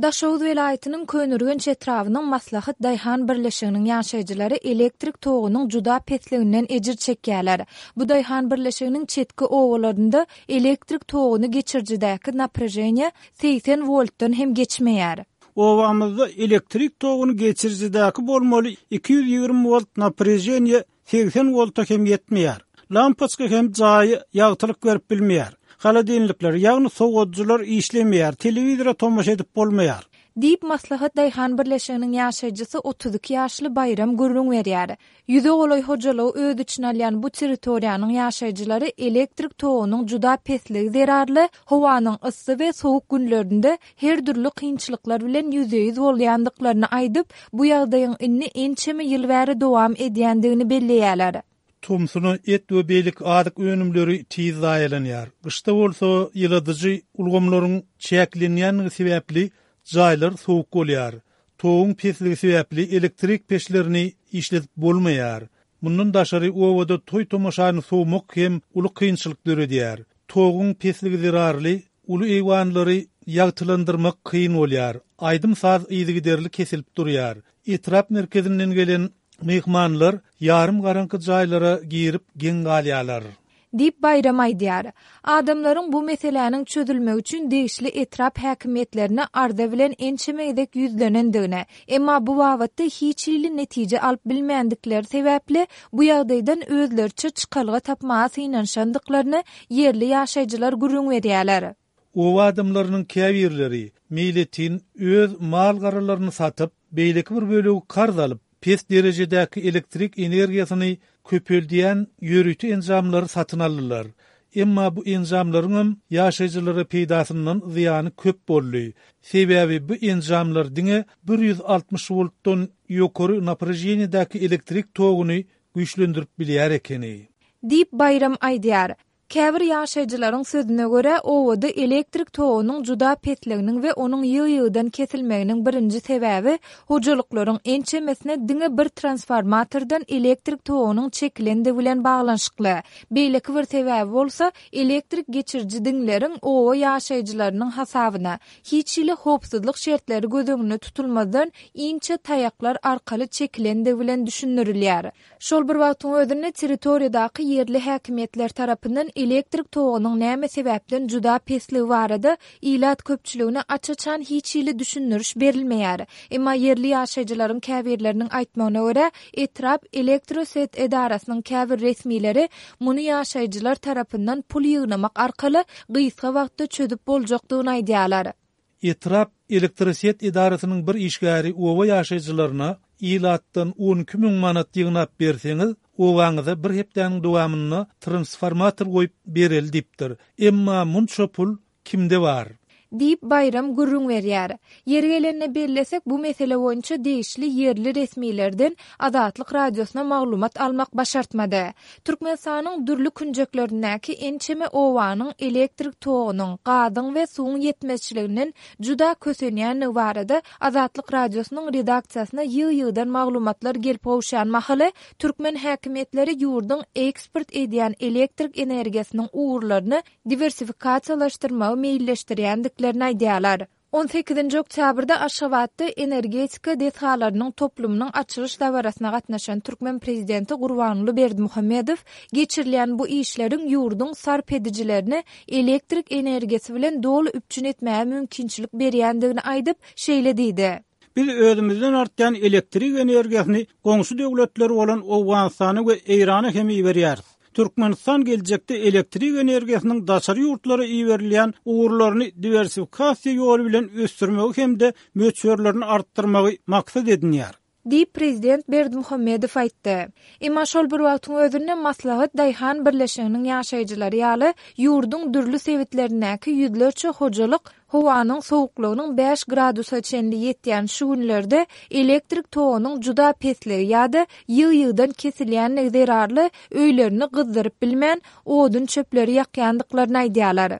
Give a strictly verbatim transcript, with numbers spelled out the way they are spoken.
Daşoguz welaýatynyň Köneürgenç etrabynyň Maslahat daýhan birleşiginiň ýaşaýjylary elektrik togunyň juda pesliginden ejir çekýärler. Bu daýhan birleşiginiň çetki obalarynda elektrik toguny geçirijidäki napreženiýe segsen woltdan hem geçmeýär. Obamyzda elektrik toguny geçirijidäki bolmaly iki ýüz ýigrimi wolt napreženiýe segsen wolta hem ýetmeýär. Lampoçka hem jaýy ýagtylyk berip bilmeýär. Holodilnikler, ýagny sowadyjylar işlemeýär, telewizora tomaşa edip bolmaýar. Diýip, Maslahat daýhan birleşiginiň ýaşaýjysy otuz iki ýaşly Baýram gürrüň berýär. Ýüze golaý hojalygy öz içine alýan bu territoriýanyň ýaşaýjylary elektrik togunyň juda pesligi zerarly howanyň yssy we sowuk günlerinde her dürli kynçylyklar bilen ýüzbe-ýüz bolýandyklaryny aýdyp, bu ýagdaýyň indi ençeme ýyl bäri dowam edýändigini belleýärler. Tomsuna et we beýleki azyk önümleri tiz zaýalanýar. Gyşda bolsa ýyladyjy ulgamlaryň çäklenýänligi sebäpli jaýlar sowuk bolýar. Toguň pesligi sebäpli elektrik peçlerini işledip bolmaýar. Mundan daşary obada toý tomaşany sowmak hem uly kynçylyk döredýär. Toguň pesligi zerarly uly eýwanlary ýagtylandyrmak kyn bolýar. Aýdym saz yzygiderli kesilip durýar. Etrap merkezinden gelen myhmanlar ýarym garaňky jaýlara girip geň galýarlar. Diýip Baýram aýdýar. Adamlaryň bu meseläniň çözülmegi üçin degişli etrap häkimiýetlerine arza bilen ençeme gezek ýüzlenendigini, emma bu babatda hiç hili netije alyp bilmändikleri sebäpli bu ýagdaýdan özleriçe çykalga tapmaga synanyşandyklaryny ýerli ýaşaýjylar gürrüň berýärler. Oba adamlarynyň käbirleri meýletin öz mal-garalaryny satyp, beýleki bir bölegi karz alyp, pes derejedäki elektrik energiýasyny köpeldýän ýörite enjamlary satyn aldylar. Emma bu enjamlaryň hem ýaşaýjylara peýdasyndan zyýany köp boldy. Sebäbi bu enjamlar diňe bir ýüz altmyş woltdan ýokary napreženiýedäki elektrik toguny güýçlendirip bilýär ekeni. Diýip Baýram aýdýar. Käbir ýaşaýjylaryň sözüne görä, obada elektrik togunyň juda pesliginiň we onuň ýygy-ýygydan kesilmeginiň birinji sebäbi hojalyklaryň ençemesine diňe bir transformatordan elektrik togunyň çekilendigi bilen baglanyşykly. Beýleki bir sebäbi bolsa, elektrik geçiriji diňleriň oba ýaşaýjylarynyň hasabyna, hiç hili howpsuzlyk şertleri göz öňünde tutulmazdan inçe taýaklar arkaly çekilendigi bilen düşündirilýär. Şol bir wagtyň özünde territoriýadaky ýerli häkimiýetler tarapyndan elektrik togunyň näme sebäpden juda pesligi barada ilat köpçüligine aç-açan hiç hili düşündiriş berilmeýär. Emma ýerli ýaşaýjylaryň käbirleriniň aýtmagyna görä, etrap elektroset edarasynyň käbir resmileri muny ýaşaýjylar tarapyndan pul ýygnamak arkaly gysga wagtda çözüp boljakdygyny aýdýarlar. Etrap elektroset edarasynyň bir işgäri oba ýaşaýjylaryna ilatdan on iki müň manat ýygnap berseňiz, obaňyza bir hepdäniň dowamynda transformator goýup bereli diýipdir. Emma munça pul kimde bar? Diýip Baýram gürrüň berýär. Ýeri gelende bellesek, bu mesele boýunça degişli ýerli resmilerden Azatlyk Radiosyna maglumat almak başartmady. Türkmenistanyň dürli künjeklerindäki ençeme obanyň elektrik togunyň, gazyň we suwuň ýetmezçiliginden juda kösenýändigi barada Azatlyk Radiosynyň redaksiýasyna ýygy-ýygydan maglumatlar gelip gowuşýan mahaly, türkmen häkimiýetleri ýurduň eksport edýän elektrik energiýasynyň ugurlaryny diwersifikasiýalaşdyrmagy meýilleşdirýändiklerini aýdýarlar. On sekizinji oktýabrda Aşgabatda energetika desgalarynyň toplumynyň açylyş dabarasyna gatnaşan türkmen prezidenti Gurbanguly Berdimuhamedow geçirilýän bu işleriň ýurduň sarp edijilerini elektrik energiýasy bilen doly üpjün etmäge mümkinçilik berýändigini aýdyp, şeýle diýdi. Biz özümizden artýan elektrik energiýasyny goňşy döwletler bolan Owganystana we Eýrana hem iberýäris. Türkmenistan geljekde elektrik energiýasynyň daşary ýurtlara iberilýän ugurlaryny diwersifikasiýa ýoly bilen ösdürmegi hem-de möçberlerini artdyrmagy maksat edinýär. Diýip, prezident Berdimuhamedow aýtdy. Emma şol bir wagtyň özünde Maslahat daýhan birleşiginiň ýaşaýjylary ýaly ýurduň dürli sebitlerindäki ýüzlerçe hojalyk howanyň sowuklygynyň bäş gradusa çenli ýetýän şu günlerde elektrik togunyň juda pesligi ýa-da ýygy-ýygydan kesilýänligi zerarly öýlerini gyzdyryp bilmän, odun çöpleri ýakýandyklaryny aýdýarlar.